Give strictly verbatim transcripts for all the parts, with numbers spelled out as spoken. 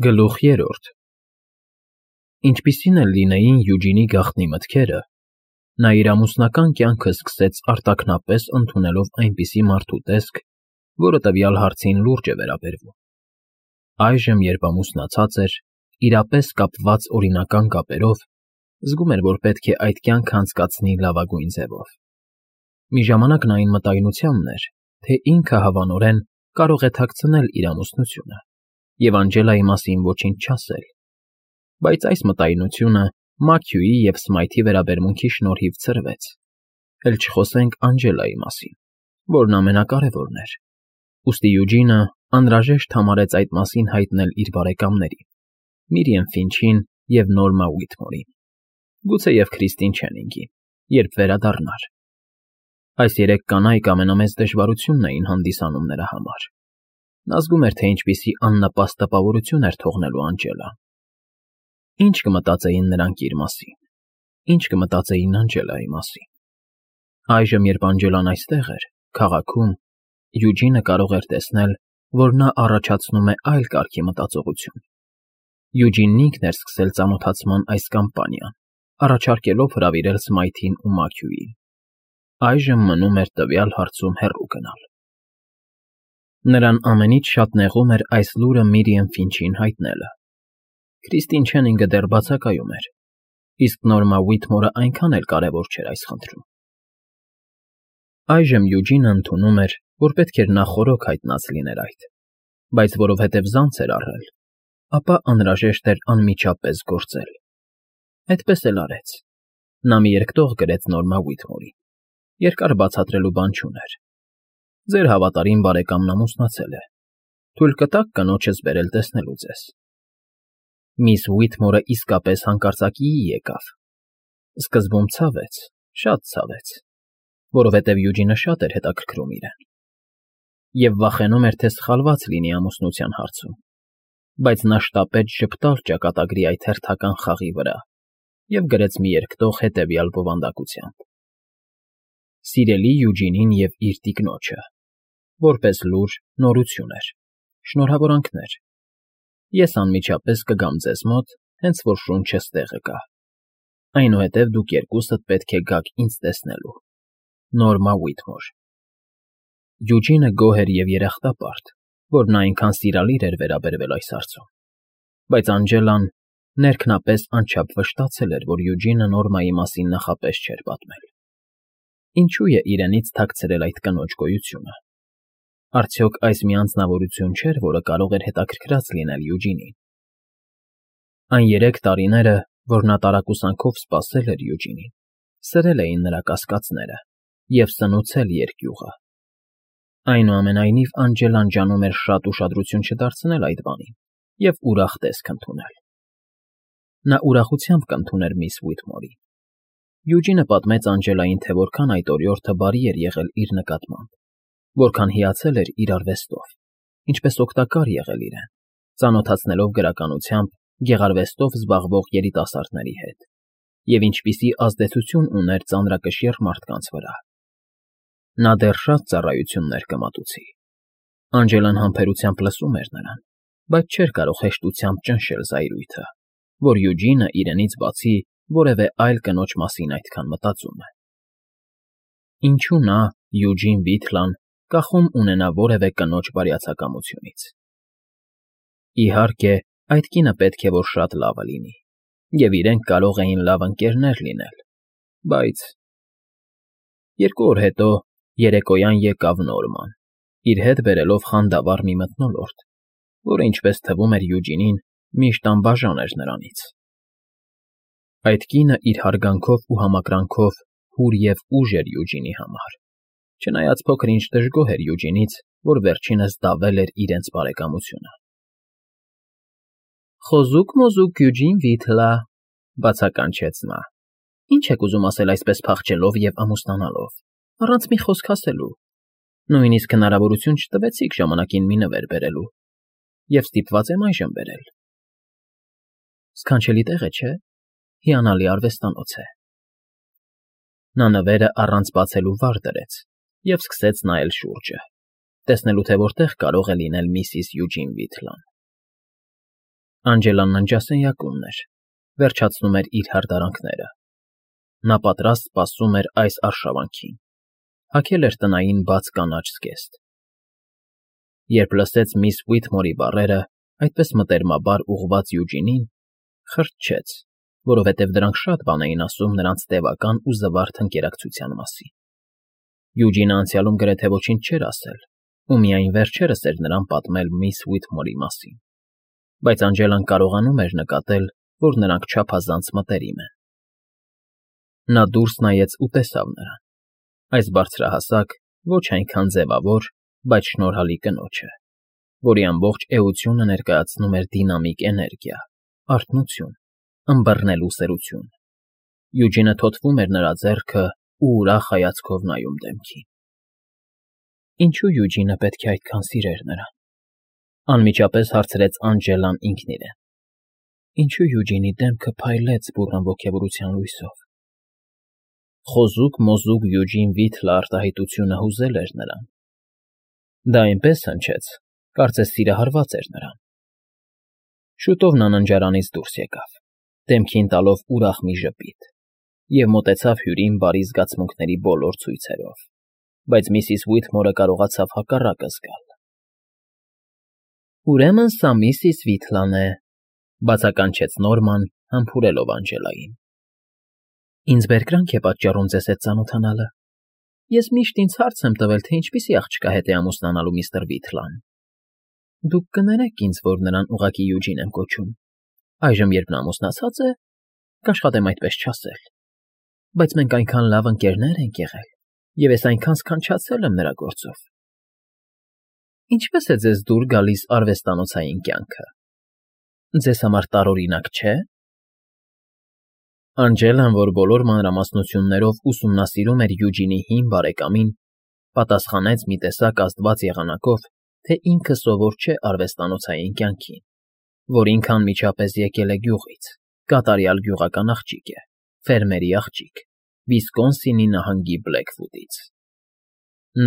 Գլուխ երրորդ Ինչպիսին էլ լինեին Յուջինի գաղտնի մտքերը, նա իր ամուսնական կյանքը սկսեց արտաքնապես ընդունելով այնպիսի մարդու տեսք, որը տվյալ հարցին լուրջ է վերաբերվում. այժմ, երբ ամուսնացած էր, իրապես կապված օրինական կապերով, զգում էր, որ պետք է այդ կյանքը անցկացնի լավագույն ձևով։ Մի ժամանակ նա այն մտայնությանն էր, թե ինքը հավանորեն կարող է թաքցնել իր ամուսնությունը և Անջելայի մասին ոչինչ չասել, բայց այս մտայնությունը Մաքյուի և Սմայթի վերաբերմունքի շնորհիվ ցրվեց, էլ չխոսենք Անջելայի մասին, որն ամենակարևորն էր, ուստի Յուջինը անհրաժեշտ համարեց այդ մասին հայտնել իր բարեկամներին՝ Միրիամ Ֆինչին և Նորմա Ուիթմորին, գուցեև Քրիստին Չենինգին, երբ վերադառնար։ Այս երեք կանայք ամենամեծ դժվարությունն էին հանդիսանում նրա համար։ Նա զգում էր, թե ինչպիսի աննպաստ տպավորություն էր թողնելու Անջելան։ Ինչ կմտածեին նրանք իր մասին, ինչ կմտածեին Անջելայի մասին։ Այժմ, երբ Անջելան այստեղ էր, քաղաքում, Յուջինը կարող էր տեսնել, որ նա առաջացնում է այլ կարգի մտածողություն։ Յուջինն ինքն էր սկսել ծանոթացման այս կամպանիան, առաջարկելով հրավիրել Սմայթին ու Մաքյուին։ Այժմ մնում էր տվյալ հարցում հեռու գնալ։ Նրան ամենից շատ նեղում էր այս լուրը Միրիամ Ֆինչին հայտնելը։ Քրիստին Չենինգը դեռ բացակայում էր, իսկ Նորմա Ուիթմորը այնքան էլ կարևոր չէր այս խնդրում։ Այժմ Յուջինը ընդունում էր, որ պետք էր նա խորոք հայտնած լիներ այդ, բայց որովհետև զանց էր առել, ապա անհրաժեշտ էր անմիջապես գործել։ Այդպես էլ արեց։ Նա մի երկտող գրեց Նորմա Ուիթմորին։ Երկար բացատրելու բան չուներ։ Ձեր հավատարիմ բարեկամն ամուսնացել է։ Թույլ կտա՞ք կնոջս բերել տեսնելու ձեզ։ Միս Ուիթմորը իսկապես հանկարծակիի եկավ։ Սկզբում ցավեց, շատ ցավեց, որովհետև Յուջինը շատ էր հետաքրքրում իրեն։ Եվ վախենում էր, թե սխալված լինի ամուսնության հարցում, բայց նա շտապեց ժպտալ ճակատագրի այդ հերթական խաղի վրա և գրեց մի երկտող հետևյալ բովանդակությամբ. Սիրելի Յուջինին և իր տիկնոջը, որպես լուր, նորություն էր, շնորհավորանքներ։ Ես անմիջապես կգամ ձեզ մոտ, հենց որ շունչս տեղը գա։ Այնուհետև դուք երկուսդ պետք է գաք ինձ տեսնելու։ Նորմա Ուիթմոր։ Յուջինը գոհ էր և երախտապարտ, որ նա այնքան սիրալիր էր վերաբերվել այս հարցում, բայց Անջելան ներքնապես անչափ վշտացել էր, որ Յուջինը Նորմայի մասին նախապես չէր պատմել։ Ինչու է իրենից թաքցրել այդ կնոջ գոյությունը։ Արդյոք այս մի անձնավորություն չէր, որը կարող էր հետաքրքրած լինել Յուջինին։ Այն երեք տարիները, որ նա տարակուսանքով սպասել էր Յուջինին, սրել էին նրա կասկածները և սնուցել երկյուղը։ Այնուամենայնիվ Անջելան ջանում էր շատ ուշադրություն չդարձնել այդ բանին և ուրախ տեսք ընդունել։ Նա ուրախությամբ կընդուներ միս Ուիթմորին։ Յուջինը պատմեց Անջելային, թե որքան այդ օրիորդը բարի էր եղել իր նկատմամբ, որքան հիացել էր իր արվեստով, ինչպես օգտակար եղել իրեն, ծանոթացնելով գրականությամբ, գեղարվեստով զբաղվող երիտասարդների հետ, և ինչպիսի ազդեցություն ուներ ծանրակշիռ մարդկանց վրա։ Նա դեռ շատ ծառայություններ կմատուցի։ Անջելան համբերությամբ լսում էր նրան, բայց չէր կարող հեշտությամբ ճնշել զայրույթը, որ Յուջինը իրենից բացի որևէ այլ կնոջ մասին այդքան մտածում է։ Ինչու նա, Յուջին Վիթլան, կախում ունենա որևէ կնոջ բարյացակամությունից։ Իհարկե, այդ կինը պետք է որ շատ լավը լինի, և իրենք կարող էին լավ ընկերներ լինել, բայց… Երկու օր հետո երեկոյան եկավ Նորման, իր հետ բերելով խանդավառ մի մթնոլորտ, որը, ինչպես թվում էր Յուջինին, միշտ անբաժան էր նրանից։ Այդ կինը իր հարգանքով ու համակրանքով հուր և ուժ էր Յուջինի համար, չնայած փոքր-ինչ դժգոհ էր Յուջինից, որ վերջինս դավել էր իրենց բարեկամությունը։ Խոզուկ֊մոզուկ Յուջին Վիթլա, բացականչեց նա։ Ինչ եք ուզում ասել այսպես փախչելով և ամուսնանալով, առանց մի խոսք ասելու։ Նույնիսկ հնարավորություն չտվեցիք ժամանակին մի նվեր բերելու, և ստիպված եմ այժմ բերել։ Սքանչելի տեղ է, չէ՞, հիանալի արվեստանոց է։ Նա նվերը առանց բացելու վար դրեց և սկսեց նայել շուրջը, տեսնելու, թե որտեղ կարող է լինել միսիս Յուջին Վիթլան։ Անջելան ննջասենյակումն էր, վերջացնում էր իր հարդարանքները։ Նա պատրաստ սպասում էր այս արշավանքին, հագել էր տնային բաց կանաչ զգեստ։ Երբ լսեց միս Ուիթմորի բառերը, այդպես մտերմաբար ուղղված Յուջինին, խրճեց, որովհետև դրանք շատ բան էին ասում նրանց տևական ու զվարթ ընկերակցության մասին։ Յուջինը անցյալում գրեթե ոչինչ չէր ասել, ու միայն վերջերս էր նրան պատմել միս Ուիթմորի մասին, բայց Անջելան կարողանում էր նկատել, որ նրանք չափազանց մտերիմ են։ Նա դուրս նայեց ու տեսավ նրան, այս բարձրահասակ, ոչ այնքան ձևավոր, բայց շնորհալի կնոջը, որի ամբողջ էությունը ներկայացնում էր դինամիկ էներգիա, արթնություն, ըմբռնելու սերություն։ Յուջինը թոթվում էր նրա ձեռքը ու ուրախ հայացքով նայում դեմքին։ Ինչու Յուջինը պետք է այդքան սիրեր նրան, անմիջապես հարցրեց Անջելան ինքն իրեն։ Ինչու Յուջինի դեմքը փայլեց բուռն ոգևորության լույսով։ Խոզուկ-մոզուկ Յուջին Վիթլը արտահայտությունը հուզել էր նրան։ Դա այնպես հնչեց, կարծես սիրահարված էր նրան։ Շուտով նա ննջարանից դուրս եկավ, դեմքին տալով ուրախ մի ժպիտ, և մոտեցավ հյուրին բարի զգացմունքների բոլոր ցույցերով, բայց միսիս Ուիթմորը կարողացավ հակառակը զգալ։ Ուրեմն սա միսիս Վիթլան է, բացականչեց Նորման, համբուրելով Անջելային։ Ինձ բերկրանք է պատճառում ձեզ հետ ծանոթանալը։ Ես միշտ ինձ հարց եմ տվել, թե ինչպիսի աղջկա հետ է ամուսնանալու միստր Վիթլան։ Դուք կներեք ինձ, որ նրան ուղղակի Յուջին եմ կոչում։ Այժմ, երբ նա ամուսնացած է, կաշխատեմ այդպես չասել։ Բայց մենք այնքան լավ ընկերներ ենք եղել, և ես այնքան սքանչացել եմ նրա գործով։ Ինչպե՞ս է ձեզ դուր գալիս արվեստանոցային կյանքը։ Ձեզ համար տարօրինակ չէ՞։ Անջելան, որ բոլոր մանրամասնություններով ուսումնասիրում էր Յուջինի հին բարեկամին, պատասխանեց մի տեսակ աստված եղանակով, թե ինքը սովոր չէ արվեստանոցային կյանքին, որ ինքը անմիջապես եկել է գյուղից, կատարյալ գյուղական աղջիկ է, ֆերմերի աղջիկ, Վիսկոնսինի նահանգի Բլեքվուդից։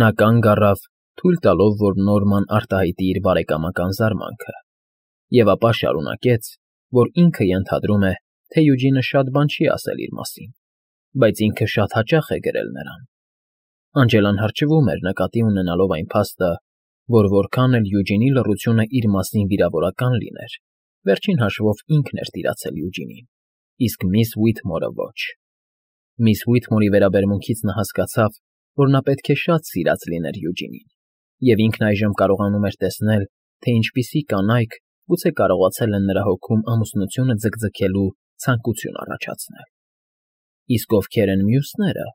Նա կանգ առավ, թույլ տալով, որ Նորման արտահայտի իր բարեկամական զարմանքը, և ապա շարունակեց, որ ինքը ենթադրում է, թե Յուջինը շատ բան չի ասել իր մասին, բայց ինքը շատ հաճախ է գրել նրան։ Անջելան հարճվում էր նկատի ունենալով այն փաստը, որ որքան էլ Յուջինի լռությունը իր մասին վիրավորական լիներ, վերջին հաշվով ինքն էր տիրացել Յուջինին, իսկ միս Ուիթմորը ոչ։ Միս Ուիթմորի վերաբերմունքից նա հասկացավ, որ նա պետք է շատ սիրած լիներ Յուջինին, և ինքն այժմ կարողանում էր տեսնել, թե ինչպիսի կանայք գուցե կարողացել են նրա հոգում ամուսնությունը ձգձգելու ցանկություն առաջացնել։ Իսկ ովքեր են մյուսները,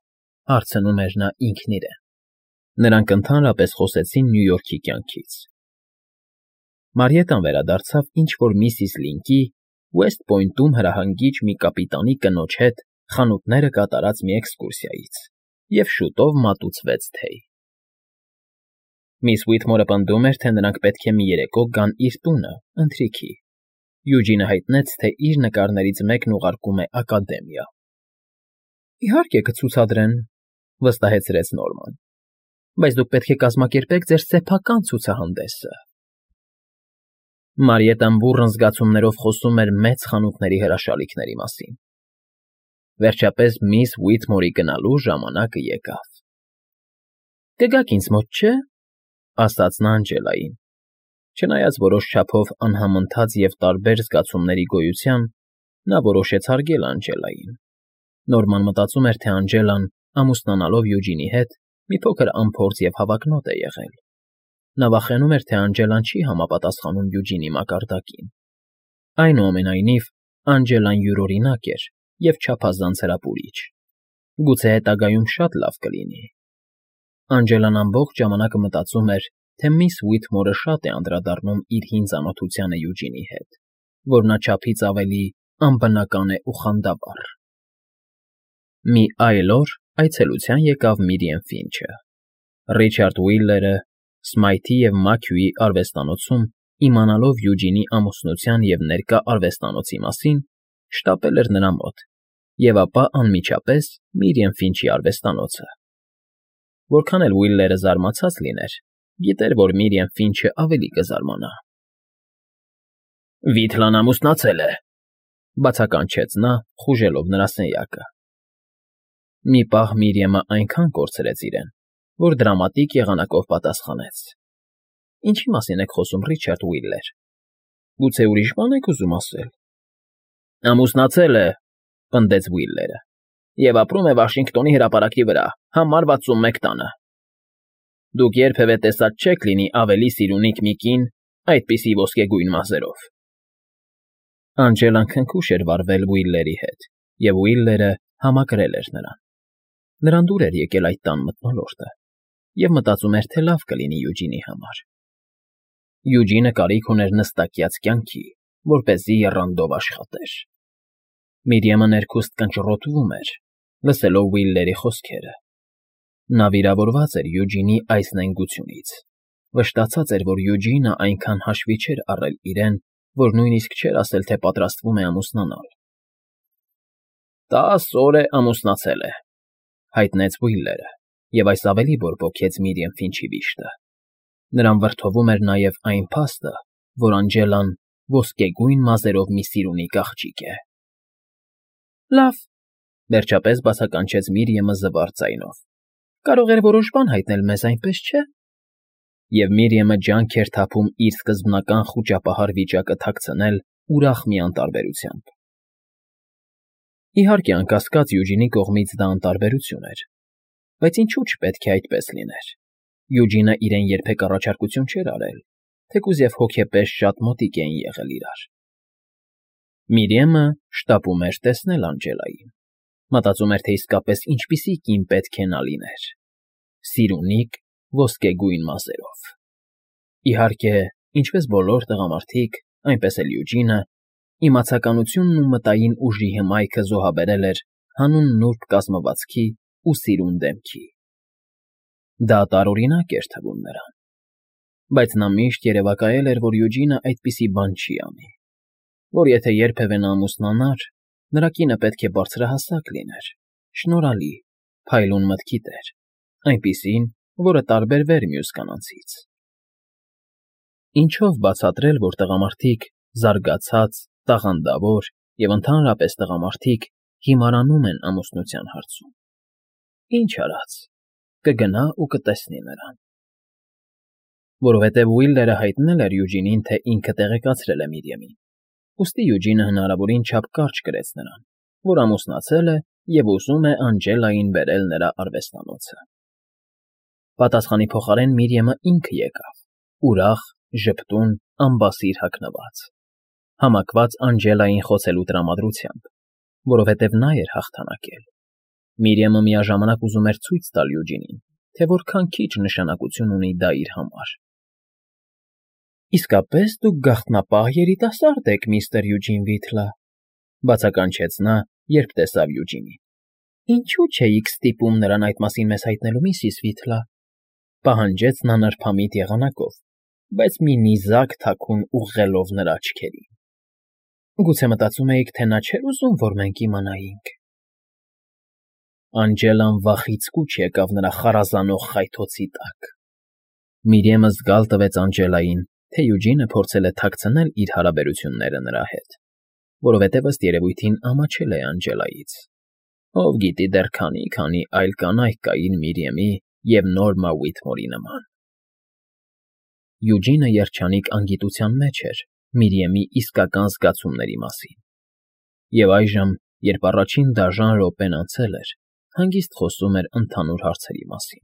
հարցնում էր նա ինքն իրեն։ Նրանք ընդհանրապես խոսեցին Նյու Յորքի կյանքից։ Մարիետան վերադարձավ ինչ-որ միսիս Լինկի Ուեսթ Պոյնտում հրահանգիչ մի կապիտանի կնոջ հետ խանութները կատարած մի էքսկուրսիայից և շուտով մատուցվեց թեյ։ Միս Ուիթմորը պնդում էր, թե նրանք պետք է մի երեկո գան իր տունը, ընթրիքի։ Յուջինը հայտնեց, թե իր նկարներից մեկն ուղարկում է ակադեմիա։ Իհարկե կցուցադրեն, վստահեցրեց Նորման, բայց դուք պետք է կազմակերպեք ձեր սեփական ցուցահանդեսը։ Մարիետան բուռն զգացումներով խոսում էր մեծ խանութների հրաշալիքների մասին։ Վերջապես միս Ուիթմորի գնալու ժամանակը եկավ։ Կգաք ինձ մոտ, չէ՞, ասաց նա Անջելային։ Չնայած որոշ չափով անհամընթաց և տարբեր զգացումների գոյության, նա որոշեց հարգել Անջելային։ Նորման մտածում էր, թե Անջելան, ամուսնանալով Յուջինի հետ, մի փոքր անփորձ և հավակնոտ է եղել։ Նա վախենում էր, թե Անջելան չի համապատասխանում Յուջինի մակարդակին։ Այնուամենայնիվ, Անջելան յուրօրինակ էր և չափազանց հրապուրիչ։ Գուցե հետագայում շատ լավ կլինի։ Անջելան ամբողջ ժամանակը մտածում էր, թե միս Ուիթմորը շատ է անդրադառնում իր հին ծանոթությանը Յուջինի հետ, որ նա չափից ավելի անբնական է ու խանդավառ։ Մի այլ օր այցելության եկավ Միրիեմ Ֆինչը։ Ռիչարդ Ուիլլերը Սմայթի և Մաքյուի արվեստանոցում, իմանալով Յուջինի ամուսնության և ներկա արվեստանոցի մասին, շտապել էր նրա մոտ, և ապա անմիջապես Միրիեմ Ֆինչի արվեստանոցը։ Որքան էլ Ուիլլերը զարմացած լիներ, գիտեր, որ Միրիեմ Ֆինչը ավելի կզարմանա։ Վիթլան ամուսնացել է,֊ բացականչեց նա, խուժելով նրա սենյակը։ Մի պահ Միրիամը այնքան կորցրեց իրեն, որ դրամատիկ եղանակով պատասխանեց. Ինչի մասին եք խոսում, Ռիչարդ Ուիլլեր, գուցե ուրիշ բան եք ուզում ասել։ Ամուսնացել է,֊ պնդեց Ուիլլերը,֊ և ապրում է Վաշինգտոնի հրապարակի վրա, համար վաթսունմեկ տանը։ Դուք երբևէ տեսած չեք լինի ավելի սիրունիկ մի կին այդպիսի ոսկեգույն մազերով։ Անջելան քնքուշ էր վարվել Ուիլլերի հետ, և Ուիլլերը համակրել էր նրան։ Նրան դուր էր եկել այդ տան մթնոլորտը, և մտածում էր, թե լավ կլինի Յուջինի համար։ Յուջինը կարիք ուներ նստակյաց կյանքի, որպեսզի եռանդով աշխատեր։ Միրիամը ներքուստ կնճռոտվում էր, լսելով Ուիլլերի խոսքերը։ Նա վիրավորված էր Յուջինի այս նենգությունից, վշտացած էր, որ Յուջինը այնքան հաշվի չէր առել իրեն, որ նույնիսկ չէր ասել, թե պատրաստվում է ամուսնանալ։ Տաս օր է ամուսնացել է,֊ հայտնեց Ուիլլերը, և այս ավելի բորբոքեց Միրիամ Ֆինչի վիշտը։ Նրան վրդովում էր նաև այն փաստը, որ Անջելան ոսկեգույն մազերով մի սիրունիկ աղջիկ է։ Լավ,֊ վերջապես բացականչեց Միրիամը զվարթ ձայնով,֊ կարող էր որոշ բան հայտնել մեզ, այնպես չէ՞։ Եվ Միրիամը ջանք էր թափում իր սկզբնական խուճապահար վիճակը թաքցնել ուրախ մի անտարբերությամբ։ Իհարկե, անկասկած Յուջինի կողմից դա անտարբերություն էր, բայց ինչու չպետք է այդպես լիներ։ Յուջինը իրեն երբեք առաջարկություն չէր արել, թեկուզ և հոգեպես շատ մոտիկ էին եղել իրար։ Միրիամը շտապում էր տեսնել Անջելային, մտածում էր, թե իսկապես ինչպիսի կին պետք է նա լիներ՝ սիրունիկ, ոսկեգույն մազերով։ Իհարկե, ինչպես բոլոր տղամարդիկ, այնպես էլ Յուջինը, իմացականությունն ու մտային ուժի հմայքը զոհաբերել էր հանուն նուրբ կազմվածքի ու սիրուն դեմքի։ Դա տարօրինակ էր թվում նրան, բայց նա միշտ երևակայել էր, որ Յուջինը այդպիսի բան չի անի, որ եթե երբևէ նա ամուսնանար, նրա կինը պետք է բարձրահասակ լիներ, շնորհալի, փայլուն մտքի տեր, այնպիսին, որը տարբերվեր մյուս կանանցից։ Ինչով բացատրել, որ տղամարդիկ, զարգացած, տաղանդավոր և ընդհանրապես տղամարդիկ հիմարանում են ամուսնության հարցում։ Ինչ արած, կգնա ու կտեսնի նրան։ Որովհետև Ուիլլերը հայտնել էր Յուջինին, թե ինքը տեղեկացրել է Միրիամին, ուստի Յուջինը հնարավորին չափ կարճ կրեց նրան, որ ամուսնացել է և ուզում է Անջելային բերել նրա արվեստանոցը։ Պատասխանի փոխարեն Միրիամը ինքը եկավ, ուրախ, ժպտուն, ամբասիր հագնված, համակված Անջելային խոցելու տրամադրությամբ, որովհետև նա էր հաղթանակել։ Միրիամը միաժամանակ ուզում էր ցույց տալ Յուջինին, թե որքան քիչ նշանակություն ունի դա իր համար։ Իսկապես դուք գաղտնապահ երիտասարդ եք, միստր Յուջին Վիթլը,֊ բացականչեց նա, երբ տեսավ Յուջինին։ Ինչու չէիք ստիպում նրան այդ մասին մեզ հայտնելու, միսիս Վիթլը,֊ պահանջեց նա նրբամիտ եղանակով, բայց մի նիզակ թաքուն ուղղելով նրա աչքերին։ Գուցե մտածում էիք, թե նա չէր ուզում, որ մենք իմանայինք։ Անջելան վախից կուչ եկավ նրա խարազանող խայթոցի տակ։ Միրիամը զգալ տվեց Անջելային, թե Յուջինը փորձել է թաքցնել իր հարաբերությունները նրա հետ, որովհետև ըստ երևույթին ամաչել է Անջելայից։ Ով գիտի դեռ քանի֊քանի այլ կանայք կային Միրիամի և Նորմա Ուիթմորի նման։ Յուջինը երջանիկ անգիտության մեջ էր Միրիամի իսկական զգացումների մասին։ Եվ այժմ, երբ առաջին դաժան րոպեն անցել էր, հանգիստ խոսում էր ընդհանուր հարցերի մասին,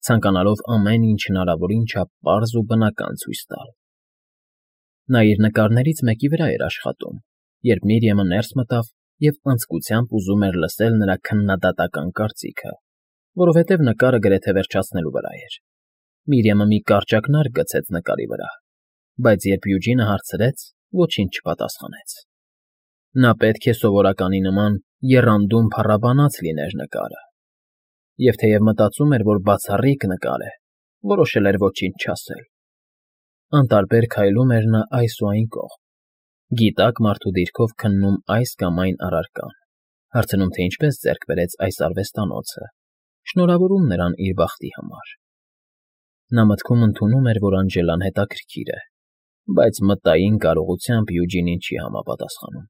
ցանկանալով ամեն ինչ հնարավորին չափ պարզ ու բնական ցույց տալ։ Նա իր նկարներից մեկի վրա էր աշխատում, երբ Միրիամը ներս մտավ և անձկությամբ ուզում էր լսել նրա քննադատական կարծիքը, որովհետև նկարը գրեթե վերջացնելու վրա էր։ Միրիամը մի կարճ ակնարկ գցեց նկարի վրա, բայց երբ Յուջինը հարցրեց, ոչինչ չպատասխանեց։ Նա պետք է սովորականի նման եռանդում փառաբանած լիներ նկարը, և թեև մտածում էր, որ բացառիկ նկար է, որոշել էր ոչինչ չասել։ Անտարբեր քայլում էր նա այս ու այն կողմ, գիտակ մարդու դիրքով քննում այս կամ այն առարկան, հարցնում, թե ինչպես ձեռք բերեց այս արվեստանոցը, շնորհավորում նրան իր բախտի համար։ Նա մտքում ընդունում էր, որ Անջելան հետաքրքիր է, բայց մտային կարողությամբ Յուջինին չի համապատասխանում,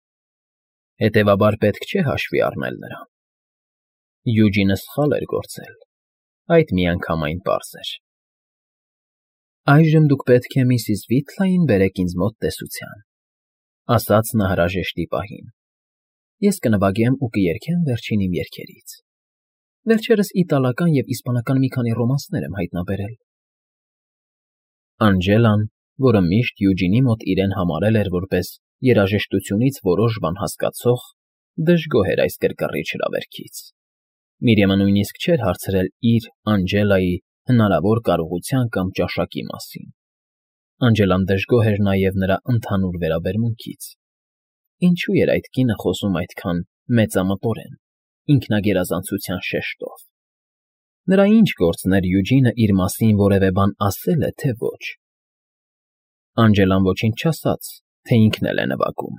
հետևաբար պետք չէ հաշվի առնել նրան։ Յուջինը սխալ էր գործել, այդ միանգամայն պարզ էր։ Այժմ դուք պետք է միսիս Վիթլային բերեք ինձ մոտ տեսության, ասաց նա հրաժեշտի պահին։ Ես կնվագեմ ու կերգեմ վերջին իմ երգերից։ Վերջերս իտալական և իսպանական մի քանի ռոմանսներ եմ հայտնաբերել։ Անջելան, որը միշտ Յուջինի մոտ իրեն համարել էր որպես երաժշտությունից որոշ բան հասկացող, դժգոհ էր այս կռկռիչ հրավերգից։ Միրիամը նույնիսկ չէր հարցրել իր՝ Անջելայի հնարավոր կարողության կամ ճաշակի մասին։ Անջելան դժգոհ էր նաև նրա ընդհանուր վերաբերմունքից։ Ինչու էր այդ կինը խոսում այդքան մեծամտորեն, ինքնագերազանցության շեշտով։ Նրա ինչ գործն էր Յուջինը իր մասին որևէ բան ասել է, թե ոչ։ Անջելան ոչինչ չասաց, թե ինքն էլ է նվագում,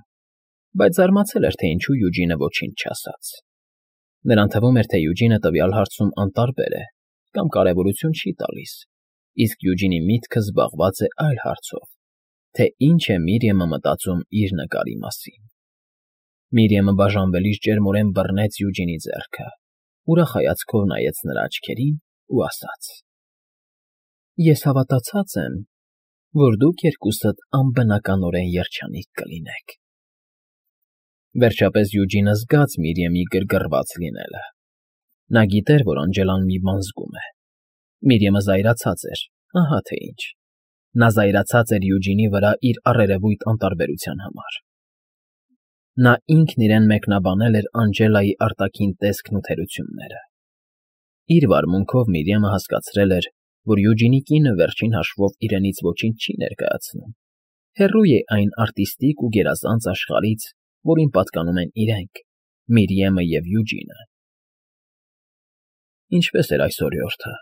բայց զարմացել էր, թե ինչու Յուջինը ոչինչ չասաց։ Նրան թվում էր, թե Յուջինը տվյալ հարցում անտարբեր է կամ կարևորություն չի տալիս, իսկ Յուջինի միտքը զբաղված է այլ հարցով, թե ինչ է Միրիամը մտածում իր նկարի մասին։ Միրիամը բաժանվելիս ջերմորեն բռնեց Յուջինի ձեռքը, ուրախ հայացքով նայեց նրա աչքերին ու ասաց. Ես հավատացած եմ, որ դուք երկուսդ անբնականորեն երջանիկ կլինեք։ Վերջապես Յուջինը զգաց Միրիամի գրգռված լինելը։ Նա գիտեր, որ Անջելան մի բան զգում է։ Միրիամը զայրացած էր, ահա թե ինչ։ Նա զայրացած էր Յուջինի վրա իր առերևույթ անտարբերության համար։ Նա ինքն իրեն մեկնաբանել էր Անջելայի արտաքին տեսքն ու թերությունները։ Իր վարմունքով Միրիամը հասկացրել էր, որ Յուջինի կինը վերջին հաշվով իրենից ոչինչ չի ներկայացնում։ Հեռու է այն արտիստիկ ու գերազանց աշխարհից, որին պատկանում են իրենք՝ Միրիամը և Յուջինը։ Ինչպե՞ս էր այս օրիորդը։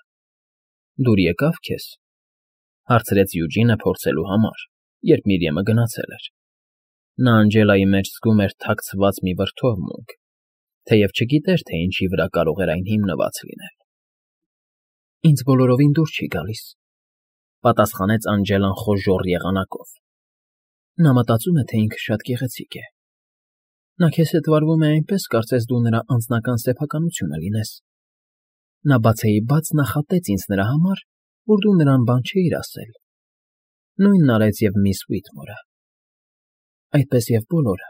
Դուր եկավ քեզ, հարցրեց Յուջինը փորձելու համար, երբ Միրիամը գնացել էր։ Նա Անջելայի մեջ զգում էր թաքցված մի վրդովմունք, թեև չգիտեր, թե ինչի վրա կարող էր այն հիմնված լինել։ Ինձ բոլորովին դուր չի գալիս, պատասխանեց Անջելան խոժոռ եղանակով։ Նա մտածում է, թե ինքը շատ գեղեցիկ է։ Նա քեզ հետ վարվում է այնպես, կարծես դու նրա անձնական սեփականությունը լինես։ Նա բացեիբաց նախատեց ինձ նրա համար, որ դու նրան բան չէիր ասել։ Նույնն արեց և միս Ուիթմորը։ Այդպես և բոլորը։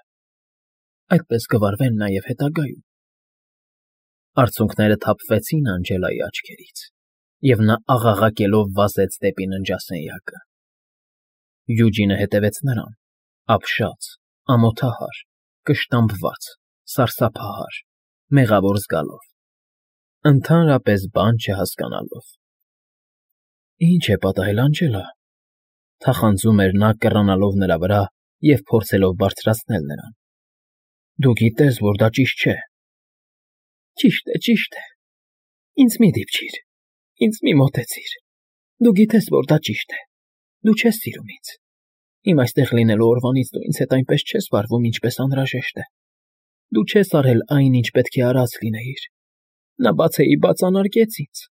Այդպես կվարվեն նաև հետագայում։ Արցունքները թափվեցին Անջելայի աչքերից, և նա աղաղակելով վազեց դեպի ննջասենյակը։ Յուջինը հետևեց նրան, ապշած, ամոթահար, կշտամբված, սարսափահար, մեղավոր զգալով, ընդհանրապես բան չհասկանալով։ Ինչ է պատահել, Անջելա, թախանձում էր նա, կռանալով նրա վրա և փորձելով բարձրացնել նրան։ Դու գիտես, որ դա ճիշտ չէ։ Ճիշտ է, ճիշտ է։ Ինձ մի դիպչիր, ինձ մի մոտեցիր։ Դու գիտես, որ դա ճիշտ է։ Դու չես սիրում ինձ։ Իմ այստեղ լինելու օրվանից դու ինձ հետ այնպես չես վարվում, ինչպես անհրաժեշտ է։ Դու չես արել այն, ինչ պետք է արած լինեիր։ Նա բացեիբաց անարգեց ինձ։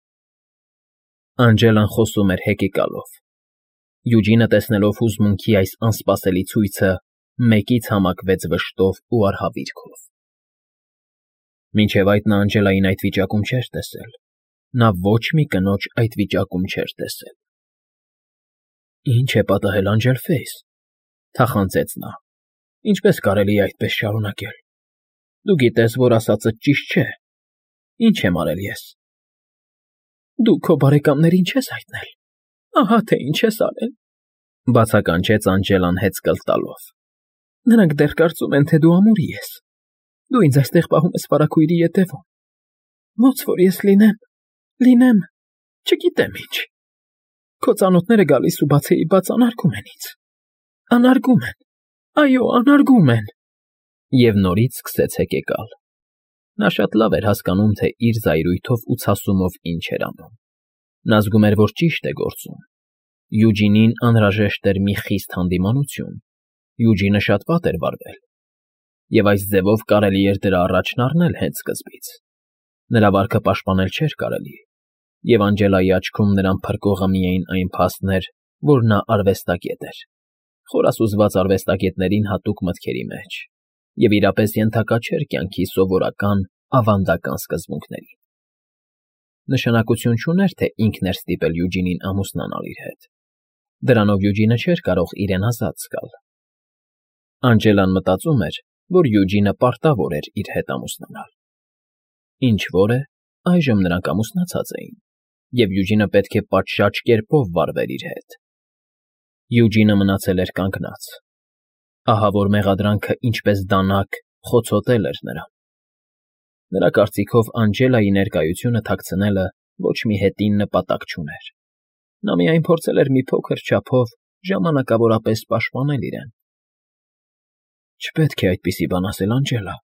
Անջելան խոսում էր հեկեկալով։ Յուջինը, տեսնելով հուզմունքի այս անսպասելի ցույցը, մեկից համակվեց վշտով ու արհավիրքով։ Մինչև այդ նա Անջելային այդ վիճակում չէր տեսել։ Նա ոչ մի կնոջ այդ վիճակում չէր տեսել։ Ինչ է պատահել, Անջելֆեյս, թախանձեց նա։ Ինչպես կարելի է այդպես շարունակել։ Դու գիտես, որ ասածդ ճիշտ չէ։ Ինչ եմ արել ես։ Դու քո բարեկամներին չես հայտնել։ Ահա թե ինչ ես արել, բացականչեց Անջելան հեծկլ տալով։ Նրանք դեռ կարծում են, թե դու ամուրի ես։ Դու ինձ այստեղ պահում ես վարագույրի ետևում։ Ոնց որ ես լինեմ, լինեմ, չգիտեմ ինչ։ Քո ծանոթները գալիս ու բացեիբաց անարգում են ինձ։ Անարգում են, այո, անարգում են։ Եվ նորից սկսեց հեկեկալ։ Նա շատ լավ էր հասկանում, թե իր զայրույթով ու ցասումով ինչ էր անում։ Նա զգում էր, որ ճիշտ է գործում։ Յուջինին անհրաժեշտ էր մի խիստ հանդիմանություն։ Յուջինը շատ վատ էր վարվել։ Եվ այս ձևով կարելի էր դրա առաջն առնել հենց սկզբից։ Նրա վարքը պաշտպանել չէր կարելի, և Անջելայի աչքում նրան փրկողը միայն այն փաստն էր, որ նա արվեստագետ էր։ խորասուզված արվեստագետներին հատուկ մտքերի մեջ և իրապես ենթակա չէր կյանքի սովորական ավանդական սկզբունքներին։ Նշանակություն չուներ, թե ինքն էր ստիպել Յուջինին ամուսնանալ իր հետ։ Դրանով Յուջինը չէր կարող իրեն ազատ զգալ։ Անջելան մտածում էր, որ Յուջինը պարտավոր էր իր հետ ամուսնանալ։ Ինչ որ է, այժմ նրանք ամուսնացած էին, և Յուջինը պետք է պատշաճ կերպով վարվեր իր հետ։ Յուջինը մնացել էր կանգնած։ Ահավոր մեղադրանքը ինչպես դանակ խոցոտել էր նրան։ Նրա կարծիքով Անջելայի ներկայությունը թաքցնելը ոչ մի հետին նպատակ չուներ։ Նա միայն փորձել էր մի փոքր չափով ժամանակավորապես պաշտպանել իրեն։ Չպետք է այդպիսի բան ասել, Անջելա,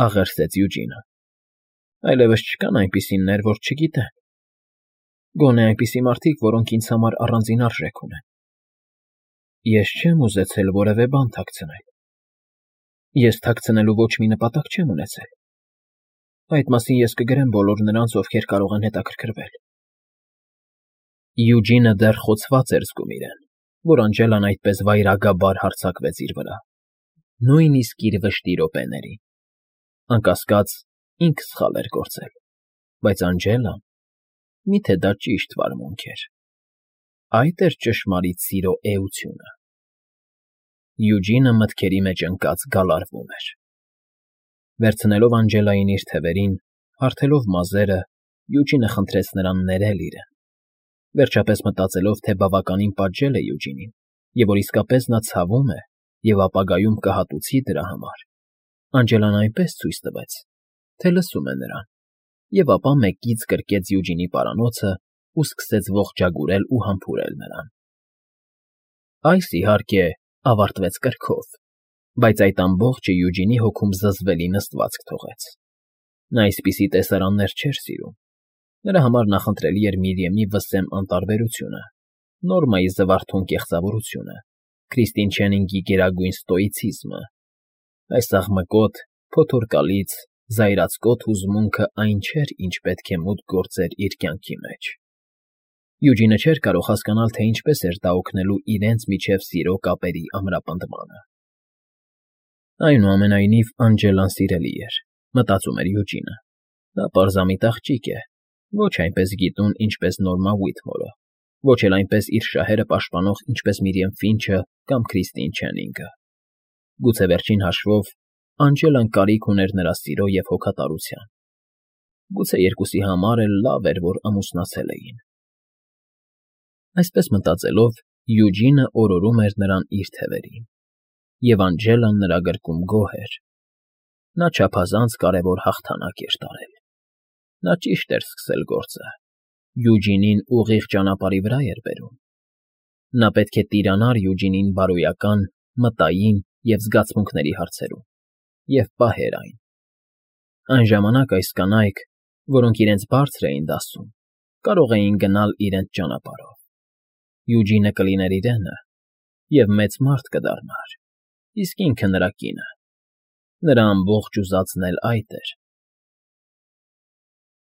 աղերսեց Յուջինը։ Այլևս չկան այնպիսիներ, որ չգիտեն։ Գոնե այնպիսի մարդիկ, որոնք ինձ համար առանձին արժեք ունեն։ Ես չեմ ուզեցել որևէ բան թաքցնել։ Ես թաքցնելու ոչ մի նպատակ չեմ ունեցել։ Այդ մասին ես կգրեմ բոլոր նրանց, ովքեր կարող են հետաքրքրվել։ Յուջինը դեռ խոցված էր զգում իրեն, որ Անջելան այդպես վայրագաբար հարձակվեց իր վրա, նույնիսկ իր վշտի րոպեներին։ Անկասկած, ինքը սխալ էր գործել, բայց Անջելան… Միթե դա ճիշտ վարմունք էր։ Այդ էր ճշմարիտ սիրո էությունը։ Յուջինը մտքերի մեջ ընկած գալարվում էր։ Վերցնելով Անջելային իր թևերին, հարթելով մազերը, Յուջինը խնդրեց նրան ներել իրեն։ Վերջապես մտածելով, թե բավականին պատժել է Յուջինին, և որ իսկապես նա ցավում է և ապագայում կհատուցի դրա համար, Անջելան այնպես ցույց տվեց, թե լսում է նրան, և ապա մեկից գրկեց Յուջինի պարանոցն ու սկսեց ողջագուրել ու համբուրել նրան։ Այս, իհարկե, ավարտվեց կրքով, բայց այդ ամբողջը Յուջինի հոգում զզվելի նստվածք թողեց։ Նա այսպիսի տեսարաններ չէր սիրում։ Նրա համար նախընտրելի էր Միրիեմի վսեմ անտարբերությունը, Նորմայի զվարթուն կեղծավորությունը, Քրիստին Չենինգի գերագույն ստոիցիզմը։ Այս աղմկոտ, փոթորկալից, զայրացկոտ հուզմունքը այն չէր, ինչ պետք է մուտք գործեր իր կյանքի մեջ։ Յուջինը չէր կարող հասկանալ, թե ինչպես էր դա օգնելու իրենց միջև սիրո կապերի ամրապնդմանը։ Այնուամենայնիվ, Անջելան սիրելի էր, մտածում էր Յուջինը։ Նա պարզամիտ աղջիկ է, ոչ այնպես գիտուն, ինչպես Նորմա Ուիթմորը, ոչ էլ այնպես իր շահերը պաշտպանող, ինչպես Միրիեմ Ֆինչը կամ Քրիստին Չենինգը։ Գուցե վերջին հաշվով Անջելան կարիք ուներ նրա սիրո և հոգատարության։ Գուցե երկուսի համար էլ լավ էր, որ ամուսնացել էին։ Այսպես մտածելով, Յուջինը օրորում էր նրան իր թևերին, և Անջելան նրա գրկում գոհ էր։ Նա չափազանց կարևոր հաղթանակ էր տարել։ Նա ճիշտ էր սկսել գործը։ Յուջինին ուղիղ ճանապարհի վրա էր բերում։ Նա պետք է տիրանար Յուջինին բարոյական, մտային և զգացմունքների հարցերում և պահեր այն։ Այն ժամանակ այս կանայք, որոնք իրենց բարձր էին դասում, կարող էին գնալ իրենց ճանապարհով։ Յուջինը կլիներ իրենը և մեծ մարդ կդառնար, իսկ ինքը նրա կինը։ Նրա ամբողջ ուզածն էլ այդ էր։